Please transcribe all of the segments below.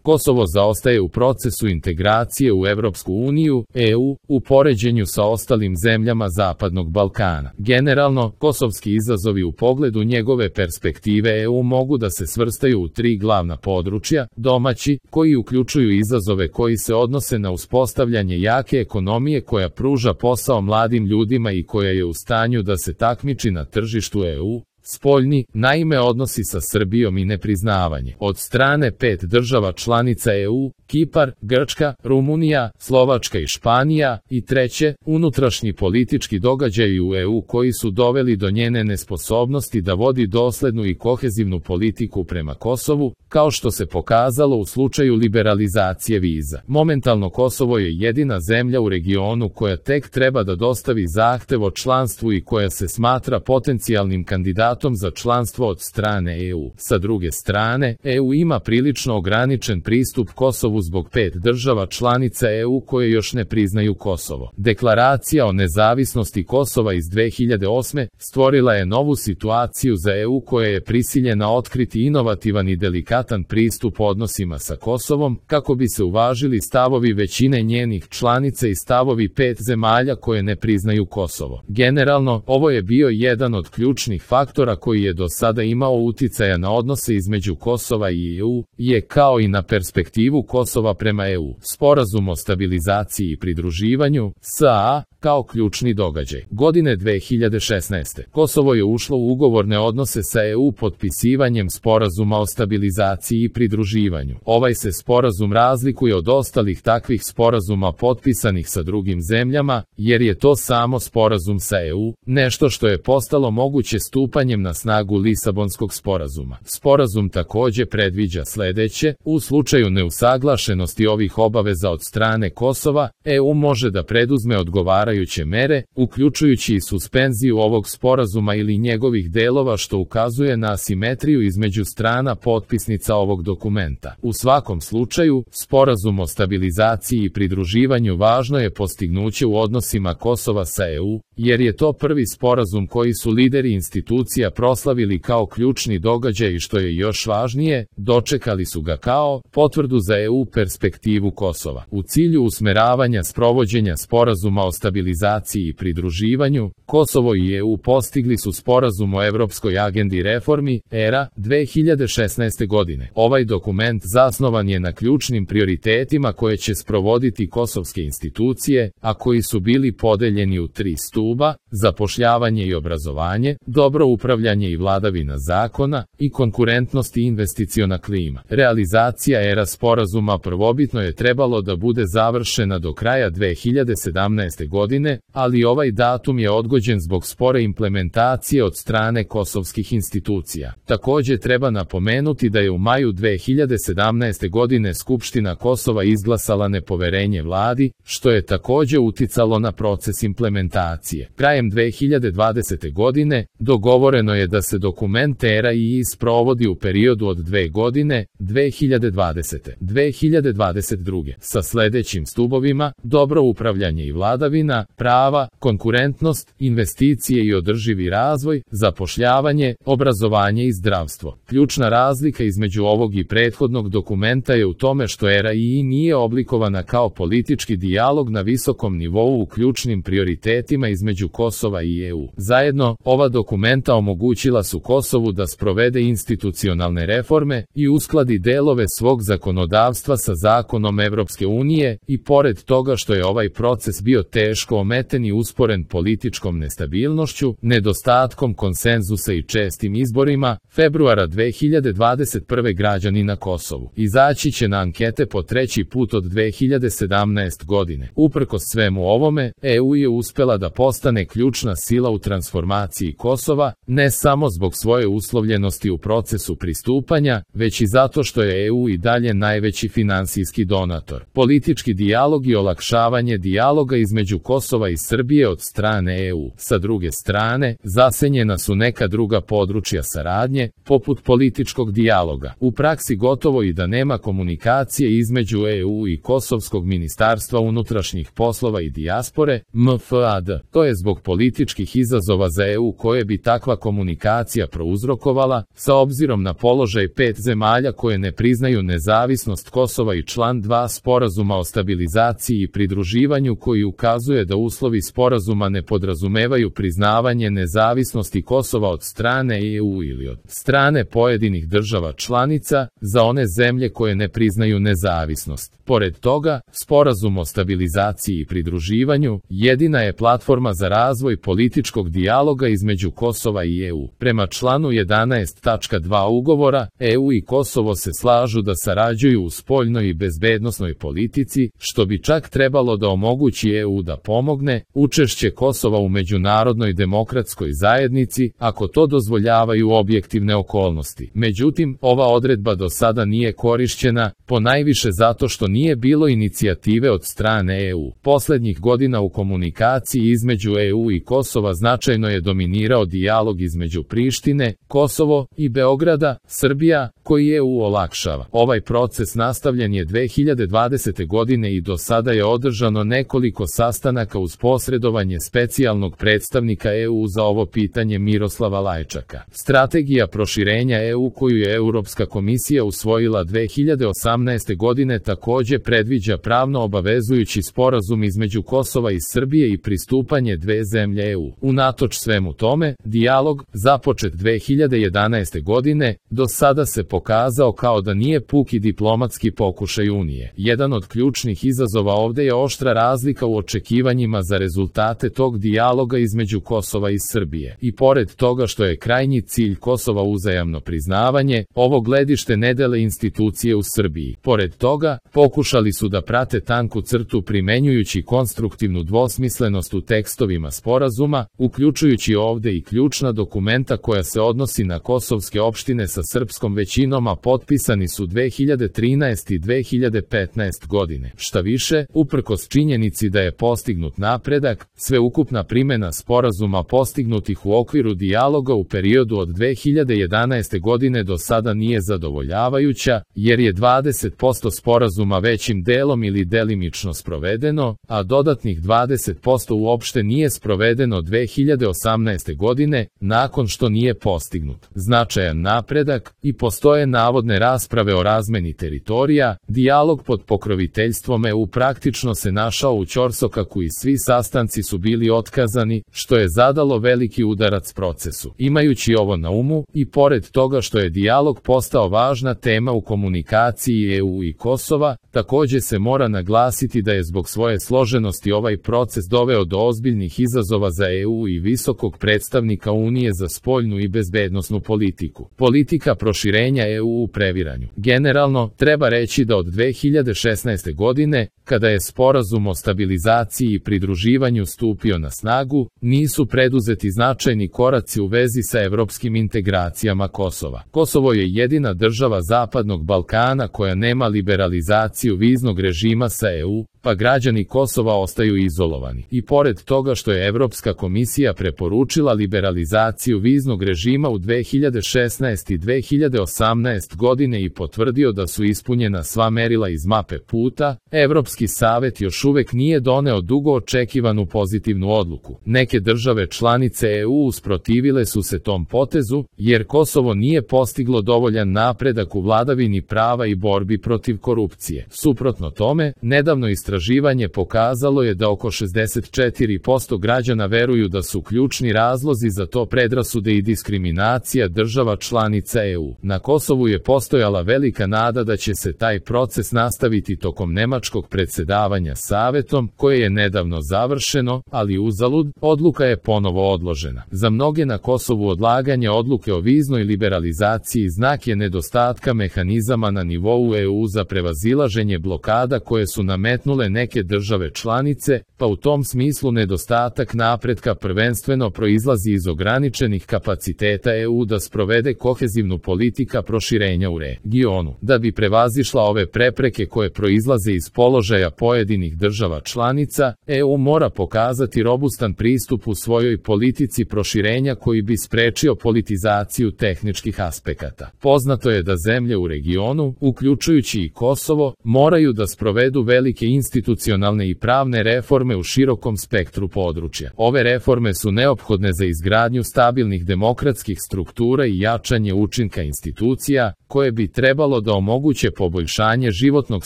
Kosovo zaostaje u procesu integracije u Evropsku uniju, EU, u poređenju sa ostalim zemljama Zapadnog Balkana. Generalno, kosovski izazovi u pogledu njegove perspektive EU mogu da se svrstaju u tri glavna područja: domaći, koji uključuju izazove koji se odnose na uspostavljanje jake ekonomije koja pruža posao mladim ljudima i koja je u stanju da se takmiči na tržištu EU; spoljni, naime odnosi sa Srbijom i nepriznavanje od strane 5 država članica EU, Kipar, Grčka, Rumunija, Slovačka i Španija; i treće, unutrašnji politički događaji u EU koji su doveli do njene nesposobnosti da vodi doslednu i kohezivnu politiku prema Kosovu, kao što se pokazalo u slučaju liberalizacije viza. Momentalno Kosovo je jedina zemlja u regionu koja tek treba da dostavi zahtev o članstvu i koja se smatra potencijalnim kandidatom za članstvo od strane EU. Sa druge strane, EU ima prilično ograničen pristup Kosovu zbog 5 država članica EU koje još ne priznaju Kosovo. Deklaracija o nezavisnosti Kosova iz 2008. stvorila je novu situaciju za EU koja je prisiljena otkriti inovativan i delikatan pristup odnosima sa Kosovom, kako bi se uvažili stavovi većine njenih članica i stavovi 5 zemalja koje ne priznaju Kosovo. Generalno, ovo je bio jedan od ključnih faktora koji je do sada imao uticaja na odnose između Kosova i EU, kao i na perspektivu Kosova prema EU. Sporazum o stabilizaciji i pridruživanju, SAA, kao ključni događaj. Godine 2016. Kosovo je ušlo u ugovorne odnose sa EU potpisivanjem Sporazuma o stabilizaciji i pridruživanju. Ovaj se sporazum razlikuje od ostalih takvih sporazuma potpisanih sa drugim zemljama, jer je to samo sporazum sa EU, nešto što je postalo moguće stupanjem na snagu Lisabonskog sporazuma. Sporazum takođe predviđa sledeće: u slučaju neusaglašenosti ovih obaveza od strane Kosova, EU može da preduzme odgovarajuće mere, uključujući i suspenziju ovog sporazuma ili njegovih delova, što ukazuje na asimetriju između strana potpisnica ovog dokumenta. U svakom slučaju, Sporazum o stabilizaciji i pridruživanju važno je postignuće u odnosima Kosova sa EU, jer je to prvi sporazum koji su lideri institucija proslavili kao ključni događaj i, što je još važnije, dočekali su ga kao potvrdu za EU perspektivu Kosova. U cilju usmeravanja sprovođenja Sporazuma o stabilizaciji i pridruživanju, Kosovo i EU postigli su Sporazum o Evropskoj agendi reformi, ERA, 2016. godine. Ovaj dokument zasnovan je na ključnim prioritetima koje će sprovoditi kosovske institucije, a koji su bili podeljeni u 3 stuba: zapošljavanje i obrazovanje, dobro upravljanje i vladavina zakona, i konkurentnost i investiciona klima. Realizacija ERA sporazuma prvobitno je trebalo da bude završena do kraja 2017. godine, ali ovaj datum je odgođen zbog spore implementacije od strane kosovskih institucija. Takođe treba napomenuti da je u maju 2017. godine Skupština Kosova izglasala nepoverenje vladi, što je takođe uticalo na proces implementacije. Krajem 2020. godine dogovoreno je da se dokument ERA i sprovodi u periodu od 2 godine, 2020-2022, sa sledećim stubovima: dobro upravljanje i vladavina prava, konkurentnost, investicije i održivi razvoj, zapošljavanje, obrazovanje i zdravstvo. Ključna razlika između ovog i prethodnog dokumenta je u tome što ERA nije oblikovana kao politički dijalog na visokom nivou u ključnim prioritetima između Kosova i EU. Zajedno, ova dokumenta omogućila su Kosovu da sprovede institucionalne reforme i uskladi delove svog zakonodavstva sa zakonom Evropske unije, i pored toga što je ovaj proces bio teško ometen i usporen političkom nestabilnošću, nedostatkom konsenzusa i čestim izborima, februara 2021. građani na Kosovu izaći će na ankete po 3. put od 2017. godine. Uprkos svemu ovome, EU je uspela da postane ključna sila u transformaciji Kosova, ne samo zbog svoje uslovljenosti u procesu pristupanja, već i zato što je EU i dalje najveći finansijski donator. Politički dijalog i olakšavanje dijaloga između Kosova Kosova i Srbije od strane EU. Sa druge strane, zasenjena su neka druga područja saradnje, poput političkog dijaloga. U praksi gotovo i da nema komunikacije između EU i Kosovskog ministarstva unutrašnjih poslova i dijaspore, MFAD. To je zbog političkih izazova za EU koje bi takva komunikacija prouzrokovala, sa obzirom na položaj 5 zemalja koje ne priznaju nezavisnost Kosova i član 2 Sporazuma o stabilizaciji i pridruživanju koji ukazuje da uslovi sporazuma ne podrazumevaju priznavanje nezavisnosti Kosova od strane EU ili od strane pojedinih država članica za one zemlje koje ne priznaju nezavisnost. Pored toga, Sporazum o stabilizaciji i pridruživanju jedina je platforma za razvoj političkog dijaloga između Kosova i EU. Prema članu 11.2 ugovora, EU i Kosovo se slažu da sarađuju u spoljnoj i bezbednosnoj politici, što bi čak trebalo da omogući EU da pomogne učešće Kosova u međunarodnoj demokratskoj zajednici, ako to dozvoljavaju objektivne okolnosti. Međutim, ova odredba do sada nije korišćena, ponajviše zato što nije bilo inicijative od strane EU. Poslednjih godina u komunikaciji između EU i Kosova značajno je dominirao dijalog između Prištine, Kosovo i Beograda, Srbija, koji EU olakšava. Ovaj proces nastavljen je 2020. godine i do sada je održano nekoliko sastanaka uz posredovanje specijalnog predstavnika EU za ovo pitanje Miroslava Lajčaka. Strategija proširenja EU koju je Europska komisija usvojila 2018. godine takođe predviđa pravno obavezujući sporazum između Kosova i Srbije i pristupanje dve zemlje EU. Unatoč svemu tome, dijalog, započet 2011. godine, do sada se pokazao kao da nije puki diplomatski pokušaj Unije. Jedan od ključnih izazova ovde je oštra razlika u očekivanjima za rezultate tog dijaloga između Kosova i Srbije. I pored toga što je krajnji cilj Kosova uzajamno priznavanje, ovo gledište ne dele institucije u Srbiji. Pored toga, pokušali su da prate tanku crtu primenjujući konstruktivnu dvosmislenost u tekstovima sporazuma, uključujući ovde i ključna dokumenta koja se odnosi na kosovske opštine sa srpskom većinom, a potpisani su 2013. i 2015. godine. Šta više, uprkos činjenici da je postignut napredak, sveukupna primena sporazuma postignutih u okviru dijaloga u periodu od 2011. godine do sada nije zadovoljavajuća, jer je 20% sporazuma većim delom ili delimično sprovedeno, a dodatnih 20% uopšte nije sprovedeno 2018. godine, nakon što nije postignut značajan napredak i postoje navodne rasprave o razmeni teritorija, dijalog pod pokroviteljstvom EU praktično se našao u ćorsokaku i svi sastanci su bili otkazani, što je zadalo veliki udarac procesu. Imajući ovo na umu, i pored toga što je dijalog postao važna tema u komunikaciji EU i Kosova, takođe se mora naglasiti da je zbog svoje složenosti ovaj proces doveo do ozbiljnih izazova za EU i visokog predstavnika Unije za spoljnu i bezbednosnu politiku. Politika proširenja EU u previranju. Generalno, treba reći da od 2016. godine, kada je Sporazum o stabilizaciji i pridruživanju stupio na snagu, nisu preduzeti značajni koraci u vezi sa evropskim integracijama Kosova. Kosovo je jedina država Zapadnog Balkana koja nema liberalizaciju viznog režima sa EU, pa građani Kosova ostaju izolovani. I pored toga što je Evropska komisija preporučila liberalizaciju viznog režima u 2016. i 2018. godine i potvrdio da su ispunjena sva merila iz mape puta, Evropski savet još uvek nije doneo dugo očekivanu pozitivnu odluku. Neke države članice EU usprotivile su se tom potezu, jer Kosovo nije postiglo dovoljan napredak u vladavini prava i borbi protiv korupcije. Suprotno tome, nedavno istraživanje pokazalo je da oko 64% građana veruju da su ključni razlozi za to predrasude i diskriminacija država članica EU. Na Kosovu je postojala velika nada da će se taj proces nastaviti tokom nemačkog predsedavanja Savetom, koje je nedavno završeno, ali uzalud, odluka je ponovo odložena. Za mnoge na Kosovu odlaganje odluke o viznoj liberalizaciji znak je nedostatka mehanizama na nivou EU za prevazilaženje blokada koje su nametnule spomenule neke države članice, pa u tom smislu nedostatak napretka prvenstveno proizlazi iz ograničenih kapaciteta EU da sprovede kohezivnu politika proširenja u regionu. Da bi prevazišla ove prepreke koje proizlaze iz položaja pojedinih država članica, EU mora pokazati robustan pristup u svojoj politici proširenja koji bi sprečio politizaciju tehničkih aspekata. Poznato je da zemlje u regionu, uključujući i Kosovo, moraju da sprovedu velike institucionalne i pravne reforme u širokom spektru područja. Ove reforme su neophodne za izgradnju stabilnih demokratskih struktura i jačanje učinka institucija, koje bi trebalo da omoguće poboljšanje životnog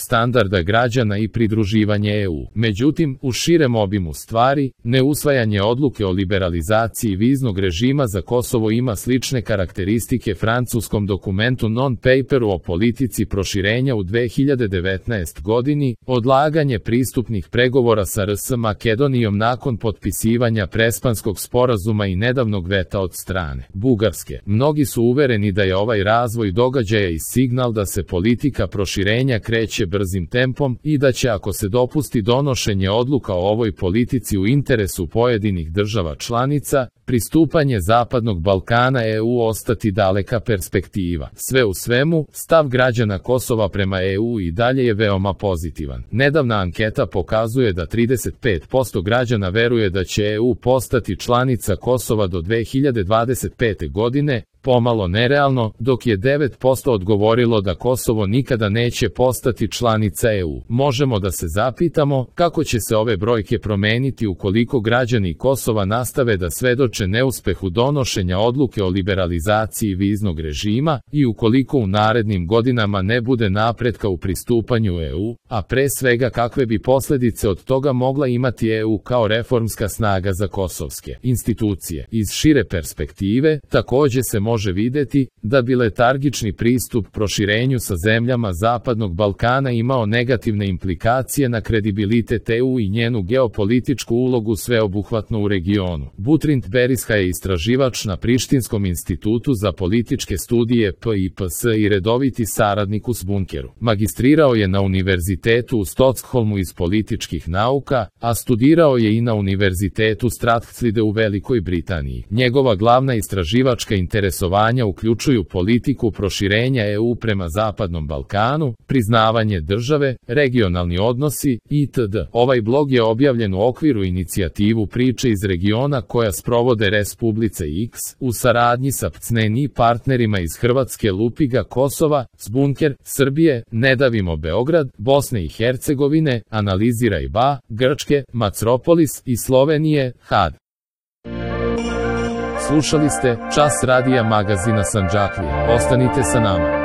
standarda građana i pridruživanje EU. Međutim, u širem obimu stvari, neusvajanje odluke o liberalizaciji viznog režima za Kosovo ima slične karakteristike francuskom dokumentu non-paperu o politici proširenja u 2019. godini, odlaganje pristupnih pregovora sa RS Makedonijom nakon potpisivanja Prespanskog sporazuma i nedavnog veta od strane Bugarske. Mnogi su uvereni da je ovaj razvoj događaja i signal da se politika proširenja kreće brzim tempom i da će, ako se dopusti donošenje odluka o ovoj politici u interesu pojedinih država članica, pristupanje Zapadnog Balkana EU ostati daleka perspektiva. Sve u svemu, stav građana Kosova prema EU i dalje je veoma pozitivan. Nedavna anketa pokazuje da 35% građana veruje da će EU postati članica Kosova do 2025. godine, pomalo nerealno, dok je 9% odgovorilo da Kosovo nikada neće postati članica EU. Možemo da se zapitamo kako će se ove brojke promeniti ukoliko građani Kosova nastave da svedoče neuspehu donošenja odluke o liberalizaciji viznog režima i ukoliko u narednim godinama ne bude napretka u pristupanju EU, a pre svega kakve bi posledice od toga mogla imati EU kao reformska snaga za kosovske institucije. Iz šire perspektive, takođe se može videti da bi letargični pristup proširenju sa zemljama Zapadnog Balkana imao negativne implikacije na kredibilitet EU i njenu geopolitičku ulogu sveobuhvatno u regionu. Butrint Beriska je istraživač na Prištinskom institutu za političke studije PIPS i redoviti saradnik u Bunkeru. Magistrirao je na Univerzitetu u Stockholmu iz političkih nauka, a studirao je i na Univerzitetu Strathclyde u Velikoj Britaniji. Njegova glavna istraživačka interesovanja uključuju politiku proširenja EU prema Zapadnom Balkanu, priznavanje države, regionalni odnosi, itd. Ovaj blog je objavljen u okviru inicijativu Priče iz regiona koja sprovode Respublice X, u saradnji sa PCNI partnerima iz Hrvatske, Lupiga, Kosova, Bunker, Srbije, Ne davimo Beograd, Bosne i Hercegovine, Analiziraj BA, Grčke, Macropolis i Slovenije, HAD. Slušali ste Čas radija magazina Sandžaklija. Ostanite sa nama.